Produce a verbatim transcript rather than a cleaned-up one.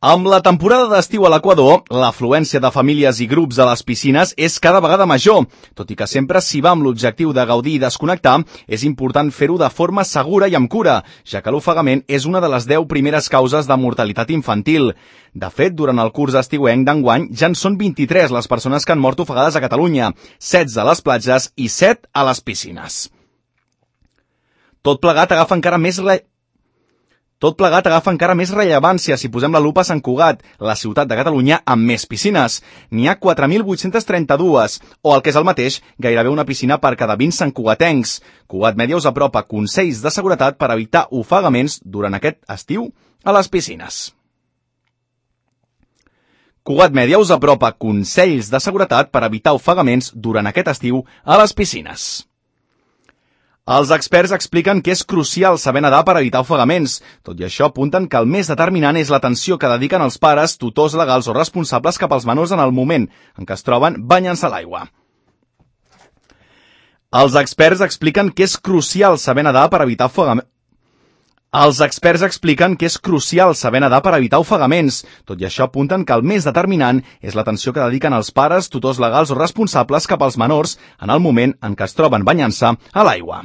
Amb la temporada d'estiu a l'Equador, l'afluència de famílies i grups a les piscines és cada vegada major. Tot i que sempre s'hi va amb l'objectiu de gaudir i desconnectar, és important fer-ho de forma segura i amb cura, ja que l'ofegament és una de les deu primeres causes de mortalitat infantil. De fet, durant el curs estiuenc d'enguany ja en són vint-i-tres les persones que han mort ofegades a Catalunya, setze a les platges i set a les piscines. Tot plegat agafa encara més... Le... Tot plegat agafa encara més rellevància si posem la lupa a Sant Cugat, la ciutat de Catalunya amb més piscines. N'hi ha quatre mil vuit-cents trenta-dos, o el que és el mateix, gairebé una piscina per cada vint santcugatencs. Cugat Mèdia us apropa consells de seguretat per evitar ofegaments durant aquest estiu a les piscines. Cugat Mèdia us apropa consells de seguretat per evitar ofegaments durant aquest estiu a les piscines. Els experts expliquen que és crucial saber nedar per evitar ofegaments. Tot i això, apunten que el més determinant és l'atenció que dediquen els pares, tutors legals o responsables cap als menors en el moment en què es troben banyant-se a l'aigua. Els experts expliquen que és crucial saber nedar per evitar ofegaments. Els experts expliquen que és crucial saber nedar per evitar ofegaments. Tot i això, apunten que el més determinant és l'atenció que dediquen els pares, tutors legals o responsables cap als menors en el moment en què es troben banyant-se a l'aigua.